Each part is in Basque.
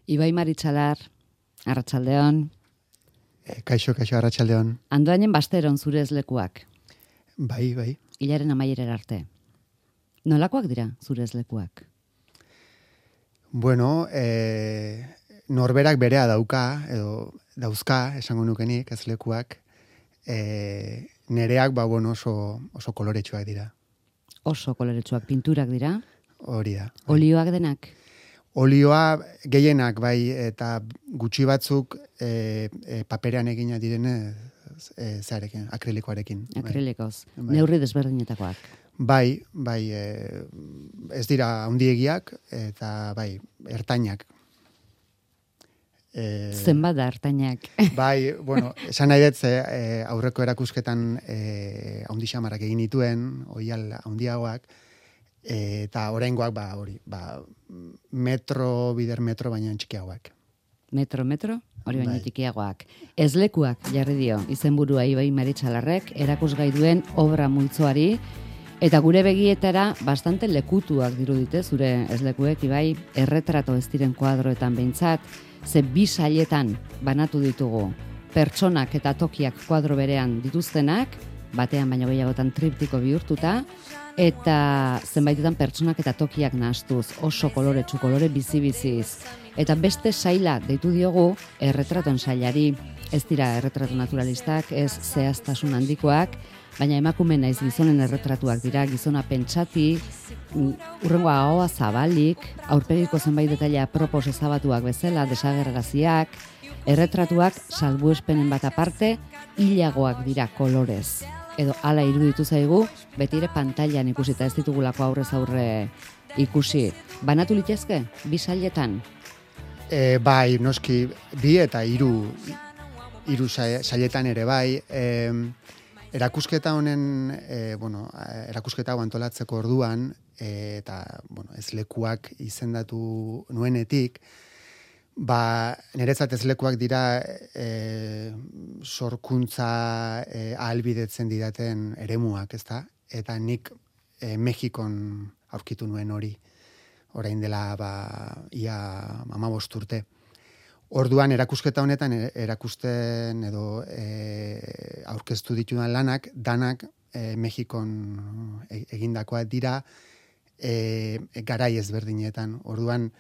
Ibai Maritxalar, arratsaldeon. Kaixo, arratsaldeon. Andoainen basteron zure ezlekuak. Bai. Hilaren amaierera arte. Nolakoak dira zure ezlekuak? Bueno, norberak berea dauka, edo dauzka, esango nukenik, ezlekuak. Nereak, oso koloretsuak dira. Oso koloretsuak, pinturak dira? Hori da. Olioak denak? Olioa gehienak, bai, eta gutxi batzuk paperean egina direne zearekin, akrilikoarekin. Akrilikoz. Bai. Neurri desberdinetakoak. Bai, ez dira handiegiak, eta bai, ertainak. Zenbat da ertainak? Bai, esan nahi dut, aurreko erakusketan handixamarrak egin dituen, oial handiagoak, eta oraingoak bider metro baina txikiagoak. Metro, hori baina txikiagoak. Ezlekuak jarri dio, izenburua Ibai Maritxalarrek, erakusgai duen obra multzoari, eta gure begietara bastante lekutuak dirudite zure ezlekuek, Ibai, erretrato ez diren kuadroetan behintzat, ze bi sailetan banatu ditugu pertsonak eta tokiak kuadro berean dituztenak, batean baino gehiagotan triptiko bihurtuta, eta zenbaitetan pertsonak eta tokiak nahastuz, oso koloretsu, kolore bizi-biziz. Eta beste saila deitu diogu erretraton sailari, ez dira erretratu naturalistak, ez zehaztasun handikoak, baina emakume naiz gizonen erretratuak dira, gizona pentsati, urrengoa ahoa zabalik, aurpegiko zenbait detaila apropos ezabatuak bezala, desagerraziak, erretratuak salbuespenen bat aparte, hilagoak dira kolorez. Edo hala iruditu zaigu, beti ere pantailan ikusita ez ditugulako aurrez aurre ikusi. Banatu litezke, bi sailetan? Bai, noski, bi eta hiru sailetan ere bai. Erakusketa honen, erakusketa antolatzeko orduan, eta ezlekuak izendatu nuenetik, niretzat ezlekuak dira sorkuntza ahalbidetzen didaten eremuak, ezta? Eta nik Mexikon aurkitu nuen hori, orain dela ia 15 urte. Orduan erakusketa honetan erakusten edo aurkeztu ditudan lanak, danak Mexikon egindakoak dira garai ezberdinetan. Orduan,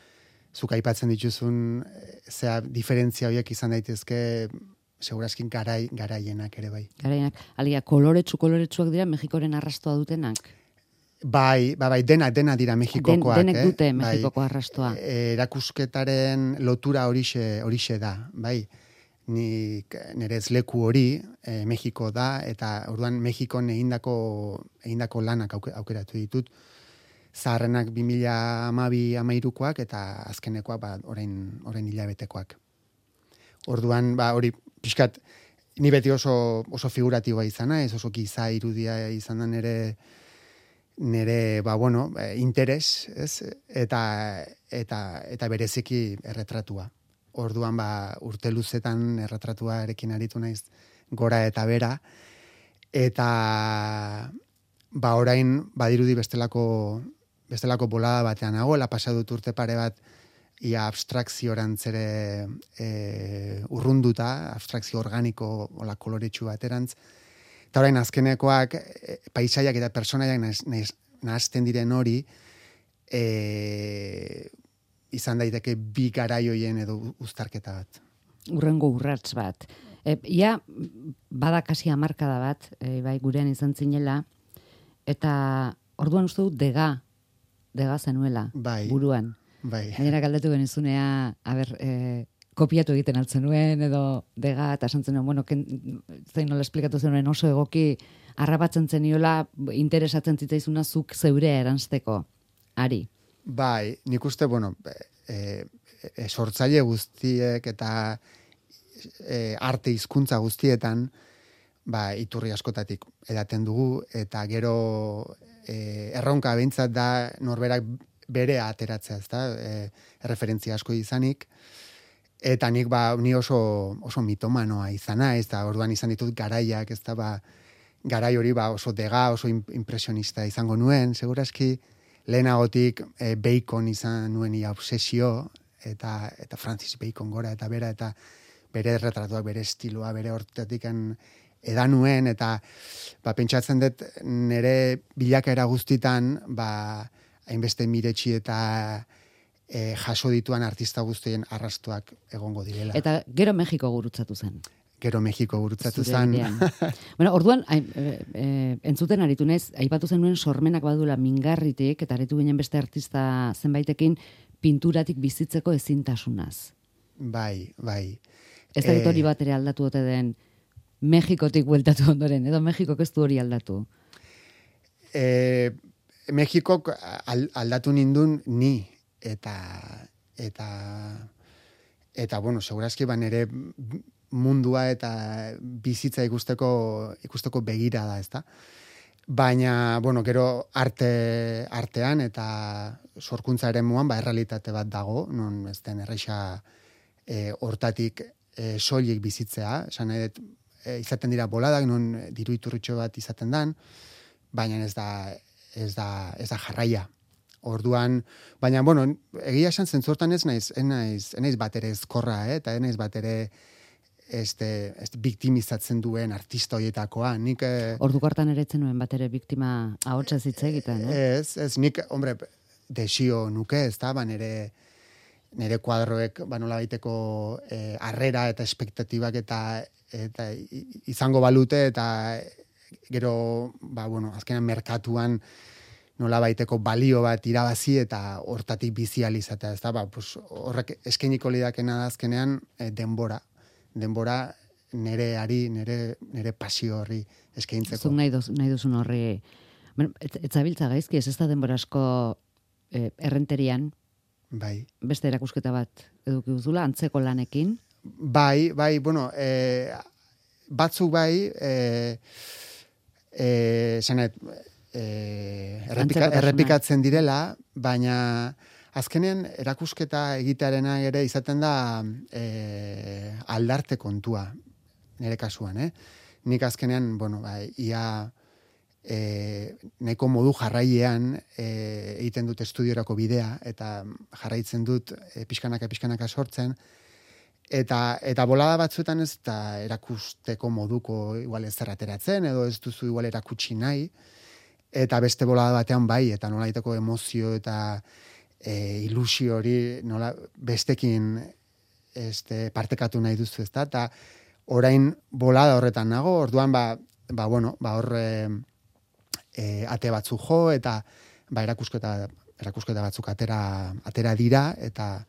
zuk aipatzen dituzun, diferentzia horiek izan daitezke, segurazkin garaienak ere bai. Garaienak, alia, koloretsuak dira Mexikoren arrastoa dutenak? Bai, dena dira Mexikokoak. Denek dute Mexikoko arrastoa. Erakusketaren lotura horixe da, bai. Nire ezleku hori Mexiko da, eta orduan Mexikon egindako lanak aukeratu ditut. Zaharrenak 2012-13koak eta azkenekoak orain hilabetekoak. Orduan, hori pixkat, ni beti oso figuratiboa izana, ez oso giza irudia izan da nire interes, ez? Eta bereziki erretratua. Orduan, urte luzetan erretratuarekin aritu naiz gora eta bera, eta orain badirudi bestelako bolada batean nagoela, pasadut urte pare bat ia abstrakziorantz ere urrunduta, abstrakzio organiko ola koloretsu baterantz. Eta orain azkenekoak paisaiak eta personaiak nahazten diren hori izan daiteke bi garaioien edo uztarketa bat. Urrengo urrats bat. Ia badakasi hamarkada bat, bai gurean izan zinela, eta orduan uste dut dega zenuela, buruan. Bai. Gainera galdetu genizunea, kopiatu egiten altzen nuen, edo dega, eta esan zenuen, zein nola esplikatu zenuen oso egoki, harrapatzen zeniola, interesatzen zitzaizuna zuk zeurea eranzteko, ari. Bai, nik uste, sortzaile guztiek eta arte hizkuntza guztietan, iturri askotatik edaten dugu, eta gero erronka behintzat da norberak bere ateratzea, ezta? Referentzia asko izanik, eta nik ni oso mitomanoa izana, ez da, orduan izan ditut garaiak, ez da, garai hori oso dega, oso impresionista izango nuen, segurazki lehenagotik Bacon izan nuen obsesio, eta Francis Bacon gora eta bera, eta bere retratuak, bere estiloa, bere hortatik edan nuen, eta pentsatzen dut nire bilakaera guztitan, hainbeste miretsi eta jaso dituan artista guztien arrastuak egongo direla. Eta gero Mexiko gurutzatu zen. Gero Mexiko gurutzatu zen. Bueno, orduan, entzuten aritu naiz, aipatu zenuen sormenak badula mingarritik, eta aritu ginen beste artista zenbaitekin pinturatik bizitzeko ezintasunaz. Bai. Ez da hori bat ere aldatu ote den Mexikotik bueltatu ondoren, edo Mexikok ez du hori aldatu? Mexikok aldatu nindun ni, eta bueno, segurazki nere mundua eta bizitza ikusteko begira da, ezta? Baina, bueno, gero artean eta sorkuntza eremuan, errealitate bat dago, non ez den erreixa hortatik soilik bizitzea, esan nahi dut, izaten dira boladak, non diru iturritxo bat izaten dan, baina ez da jarraia. Orduan, baina, bueno, egia esan zentzortan ez naiz bat ere ezkorra, eta ez naiz bat ere biktimizatzen duen artista horietakoa. Nik... Orduko hartan ere etzen nuen bat ere biktima ahotsaz hitz egiten, Ez, nik, hombre, desio nuke, ez da, nire kuadroek, nola baiteko harrera eta espektatibak eta izango balute, eta gero, azkenan merkatuan nola baiteko balio bat irabazi eta hortatik bizializatea, ez da, horrek eskainiko lidakena da azkenean denbora nire pasio horri eskaintzeko. Zuk nahi duzun horri, etzabiltza gaizki, ez da denbora asko errenterian, bai. Beste erakusketa bat eduki duzula, antzeko lanekin? Bai, bueno, batzuk bai, zanet, errepikatzen direla, baina azkenean erakusketa egitearena ere izaten da aldarte kontua, nire kasuan, Nik azkenean, ia nahiko modu jarraiean egiten dut estudiorako bidea, eta jarraitzen dut pixkanaka sortzen, eta bolada batzuetan ez da erakusteko moduko igual ez zerrateratzen, edo ez duzu igual erakutsi nahi, eta beste bolada batean bai, eta nola egiteko emozio eta ilusio hori nola bestekin partekatu nahi duzu, ezta? Eta orain bolada horretan nago, orduan hor ate batzu jo, eta erakusketa batzuk atera dira, eta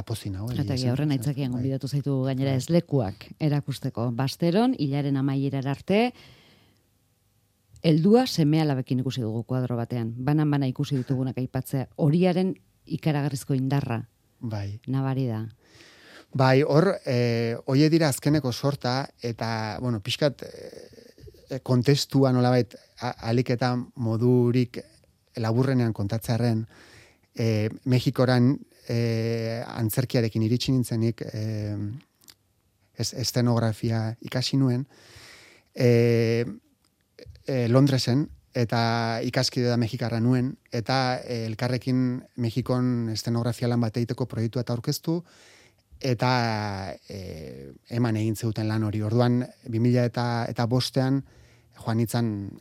pozi nago. Eta horren aitzakian gonbidatu zaitu gainera ezlekuak erakusteko. Basteron, hilaren amaierara arte, heldua seme-alabekin ikusi dugu kuadro batean. Banan ikusi ditugunak aipatzea. Horiaren ikaragarrizko indarra. Bai. Nabari da. Bai, hor, hoie dira azkeneko sorta, eta, pixkat kontestua nolabait alik eta modurik laburrenean kontatzearen, Mexikoran antzerkiarekin iritsi nintzenik estenografia ikasi nuen, Londresen, eta ikaskide da Mexikarra nuen, eta elkarrekin Mexikon estenografia lan bat egiteko proiektua eta aurkeztu, eta eman egin zeuten lan hori. Orduan, 2005 joan nintzen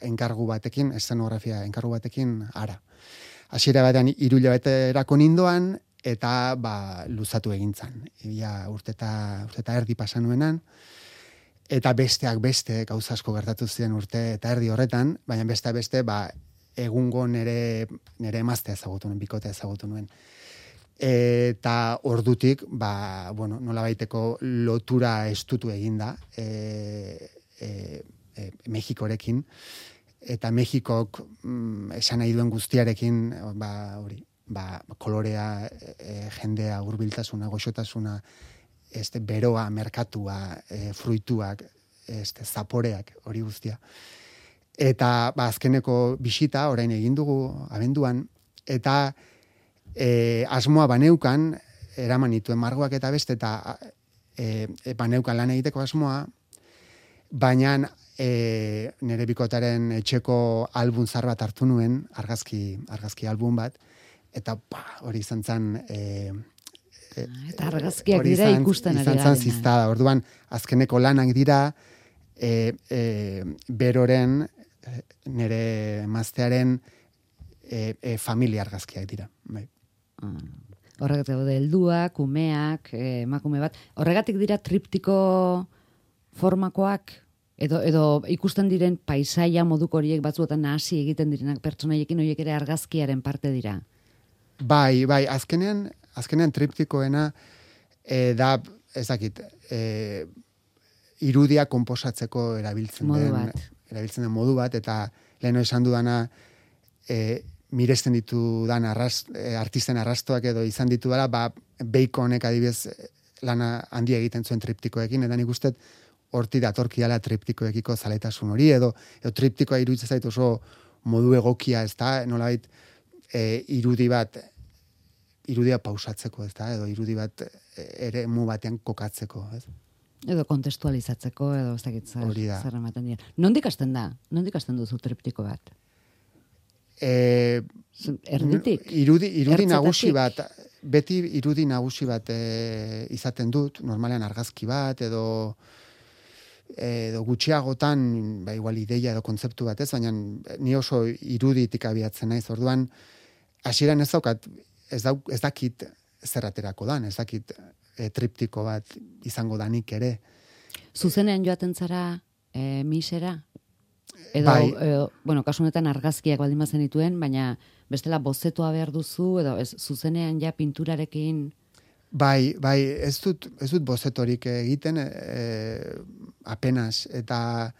enkargu batekin, estenografia enkargu batekin, ara. Hasiera batean 3 hilabeterako nindoan, eta luzatu egintzan. Urte eta erdi pasa nuenan, eta besteak beste gauza asko gertatu ziren urte eta erdi horretan, baina beste egungo nire emaztea ezagutu nuen, bikotea ezagutu nuen. Eta ordutik, nola baiteko lotura estutu eginda Mexikorekin, eta Mexikok esan nahi duen guztiarekin, kolorea, jendea, hurbiltasuna, goxotasuna, beroa, merkatua, fruituak, zaporeak, hori guztia. Eta azkeneko bisita, orain egin dugu, abenduan, eta asmoa baneukan, eraman nituen margoak eta beste, eta baneukan lan egiteko asmoa, baina nire bikotaren etxeko album zar bat hartu nuen, argazki album bat, eta hori izan zen... eta argazkiak dira ikusten ari garena. Izan zen ziztada, orduan, azkeneko lanak dira, beroren, nire emaztearen familia argazkiak dira. Bai. Horregatik daude helduak, umeak, emakume bat. Horregatik dira triptiko formakoak, edo ikusten diren paisaia moduko horiek batzuetan nahasi egiten direnak pertsonaiekin horiek ere argazkiaren parte dira. Bai, azkenean triptikoena da, ez dakit, irudia konposatzeko erabiltzen den modu bat, eta leheno esan dudana miresten ditudan artisten arrastoak edo izan ditu dela, Baconek adibidez lana handia egiten zuen triptikoekin, eta nik uste horti datorkiala triptikoekiko zaletasun hori, edo triptikoa iruditzen zait oso modu egokia, ez da, nolabait irudia pausatzeko, ez da, edo irudi bat eremu batean kokatzeko, ez? Edo kontestualizatzeko, edo ez dakit zer ematen dira. Nondik hasten da? Nondik hasten duzu triptiko bat? Erditik? Irudi nagusi bat, beti irudi nagusi bat izaten dut, normalean argazki bat, edo gutxiagotan, igual ideia edo kontzeptu bat ez, baina ni oso iruditik abiatzen naiz, orduan, hasieran ez dakit zerraterako dan, ez dakit triptiko bat izango danik ere. Zuzenean joaten zara misera? Edo, bueno, kasu honetan argazkiak baldin bazen dituen, baina bestela bozetoa behar duzu, edo ez zuzenean ja pinturarekin... Bai, ez dut bozetorik egiten, apenas, eta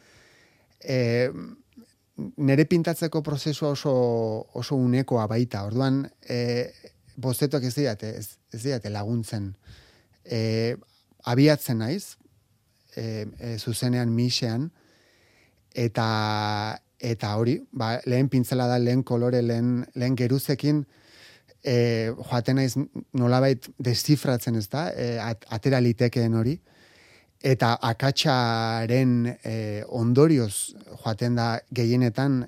nire pintatzeko prozesua oso unekoa baita, orduan bozetoak ez didate laguntzen. Abiatzen naiz, zuzenean misean, eta hori, lehen pintzela da, lehen kolore, lehen geruzekin, joaten naiz nolabait deszifratzen, ez da, atera litekeen hori, eta akatsaren ondorioz joaten da gehienetan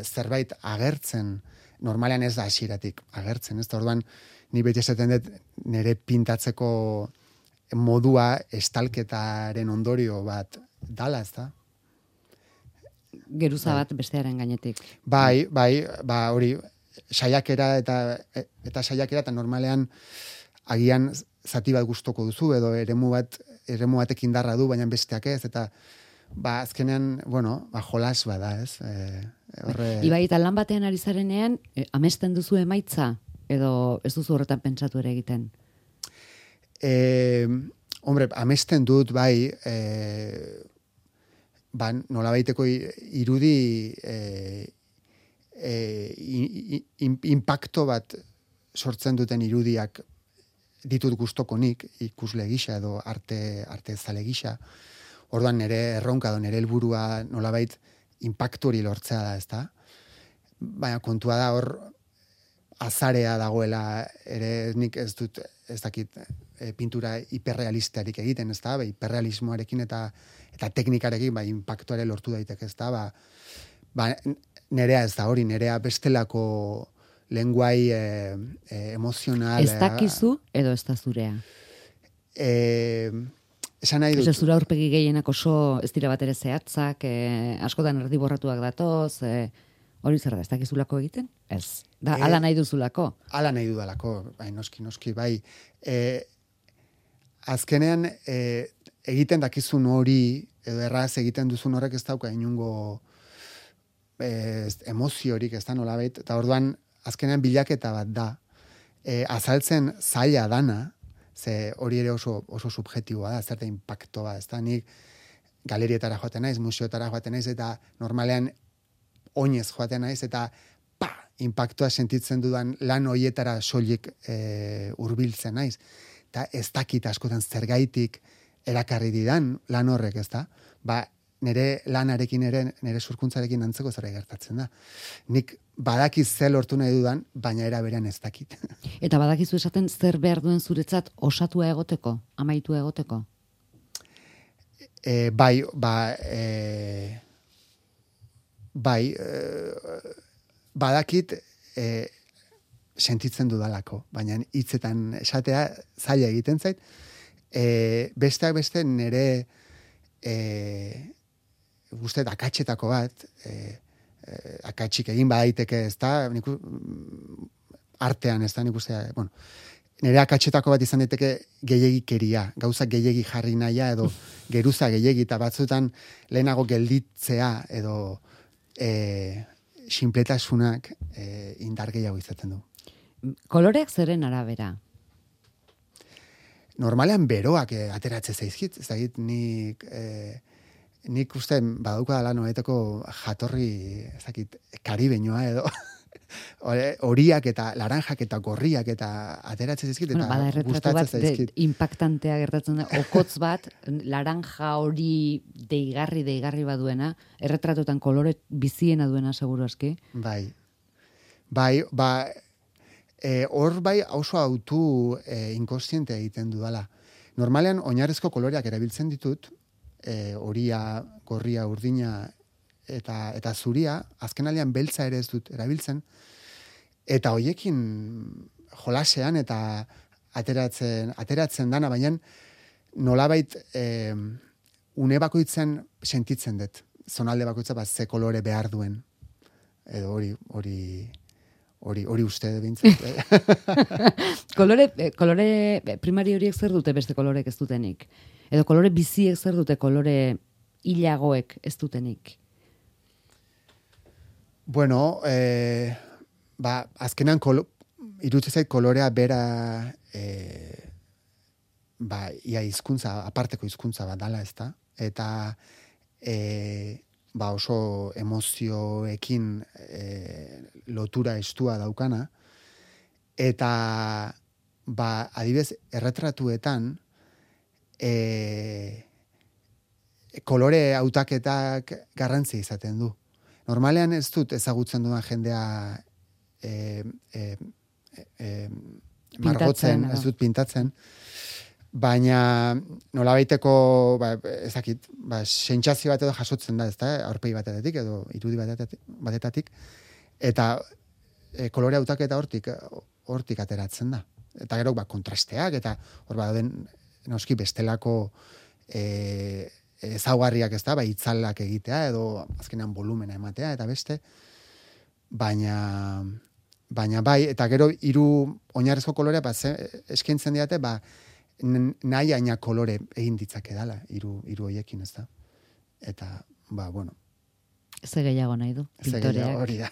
zerbait agertzen, normalean ez da hasieratik agertzen, ez da, orduan, ni beti esaten dut nire pintatzeko modua estalketaren ondorio bat dala, ez da? Geruza bat bestearen gainetik. Bai, hori, saiakera eta saiakera, eta normalean agian zati bat gustoko duzu, edo eremu batek indarra du, baina besteak ez, eta azkenean, jolas bada, ez? Ibai, eta lan batean ari zarenean, amesten duzu emaitza, edo ez duzu horretan pentsatu ere egiten? Amesten dut, bai, nolabaiteko irudi impacto bat sortzen duten irudiak ditut gustokonik, ikusle gisa edo arte zale gisa. Orduan nire erronka edo nire helburua nolabait impactu hori lortzea da, ezta? Baina kontua da hor azarea dagoela ere nik ez dakit pintura hiperrealistarik egiten, ezta? Hiperrealismoarekin eta teknikarekin impactuare lortu daiteke, ezta? Nerea ez da hori, nerea bestelako lenguai emozional. Ez dakizu edo ez da zurea? Esan nahi dut. Ez zura aurpegi gehienak oso ez dira bat ere zehatzak, askotan erdiborratuak datoz, hori zer da, ez dakizulako egiten? Ez. Ala nahi duzulako? Ala nahi dudalako, noski, bai. Azkenean, egiten dakizun hori, edo erraz egiten duzun horrek ez dauka inungo emoziorik, ez da nolabait, eta orduan, azkenean bilaketa bat da. Azaltzen zaila dana, ze hori ere oso subjetiboa da, zerte impacto bat, ez da, nik galerietara joaten naiz, museotara joaten naiz, eta normalean oinez joaten naiz, eta impactoa sentitzen dudan lan hoietara soilik hurbiltzen naiz. Eta ez dakit askotan zergaitik erakarri didan lan horrek, ez da? Nire lanarekin ere, nire surkuntzarekin antzeko zerbait gertatzen da. Nik badakiz ze lortu nahi dudan, baina era berean ez dakit. Eta badakizu esaten zer behar duen zuretzat osatua egoteko, amaitua egoteko? Badakit sentitzen dudalako, baina hitzetan esatea zaila egiten zait. Besteak beste nire guztet akatxetako bat, akatsik egin badaiteke, ez da, artean, ez da, nik uste, bueno, nire akatxetako bat izan daiteke gehiegikeria, gauza gehiegi jarri nahia, edo geruza gehiegi, eta batzutan lehenago gelditzea, edo sinpletasunak indar gehiago izaten du. Koloreak zeren arabera? Normalean beroak ateratze zaizkit, ez dakit nik uste badauka dela noetako jatorri, ez dakit, karibeñoa edo horiak eta laranjak eta gorriak eta ateratzen zaizkit eta gustatzen zaizkit. Impactantea gertatzen da, okotz bat, laranja hori deigarri baduena, erretratutan kolore biziena duena seguru aski. Bai, hor bai oso autu inkostientea egiten dudala. Normalean oinarrizko koloreak erabiltzen ditut, horia, gorria, urdina eta zuria, azkenaldian beltza ere ez dut erabiltzen, eta hoiekin jolasean eta ateratzen dana, baina nolabait une bakoitzen sentitzen dut, zonalde bakoitza ze kolore behar duen, edo hori uste bintzat. Kolore primari horiek zer dute beste kolorek ez dutenik? Edo kolore biziek zer dute kolore hilagoek ez dutenik? Bueno, azkenan iruditzen zait kolorea bera ia hizkuntza, aparteko hizkuntza bat dala, ezta? Eta oso emozioekin lotura estua daukana, eta adibidez erretratuetan kolore hautaketak garrantzi izaten du. Normalean ez dut ezagutzen duan jendea margotzen, ez dut pintatzen, baina nolabaiteko ezakit, sentsazio bat edo jasotzen da, ezta, aurpegi batetik edo irudi batetatik, eta kolore hautaketa hortik ateratzen da. Eta gero kontrasteak, eta hor baden noski bestelako ezaugarriak, ez da, itzalak egitea, edo azkenean volumena ematea, eta beste, baina bai, eta gero hiru oinarrizko kolorea, eskaintzen diate, nahi aina kolore egin ditzake dala, hiru hoiekin, ez da. Eta, bueno. Ze gehiago nahi du, pintoreak. Hori da.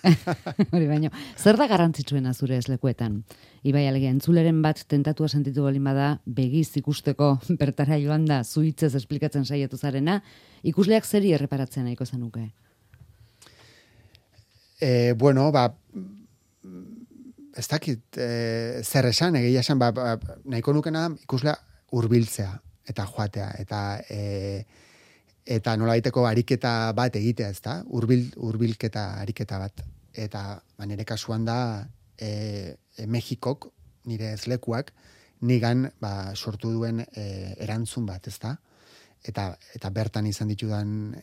Hori baino. Zer da garrantzitsuena zure eslekuetan? Ibai alegia, entzuleren bat tentatua sentitu balin bada, begiz ikusteko bertara joan da, zuitzez esplikatzen saiatu zarena, ikusleak zeri erreparatzen nahiko zenuke? Bueno, ez dakit, zer esan, egia esan, nahiko nukena ikuslea hurbiltzea eta joatea, eta nolabaiteko ariketa bat egitea, ez da? Hurbilketa ariketa bat. Eta nire kasuan da Mexikok, nire ezlekuak, nigan sortu duen erantzun bat, ez da? Eta bertan izan ditudan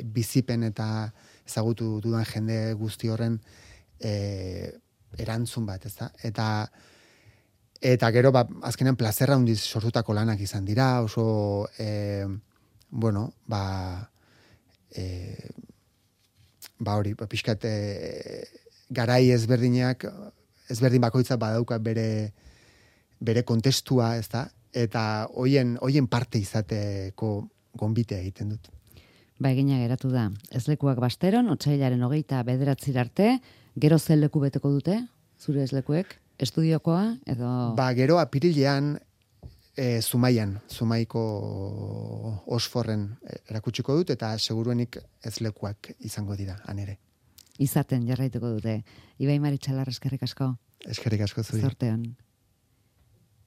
bizipen eta ezagutu dudan jende guzti horren erantzun bat, ez da? Eta gero, azkenean plazerra hundiz sortutako lanak izan dira, oso bueno, hori, pixkat garai ezberdin bakoitza badauka bere kontestua, ez da? Eta hoien parte izateko gonbitea egiten dut. Egina geratu da. Ezlekuak Basteron, otsailaren 29 arte, gero zer leku beteko dute, zure ezlekuek? Estudiokoa, edo... Gero apirilean Zumaiko Osforren erakutsiko dut, eta seguruenik ezlekuak izango dira, anere. Izaten jarraituko dute. Ibai Maritxalar, eskerrik asko. Eskerrik asko zuri. Zorteon.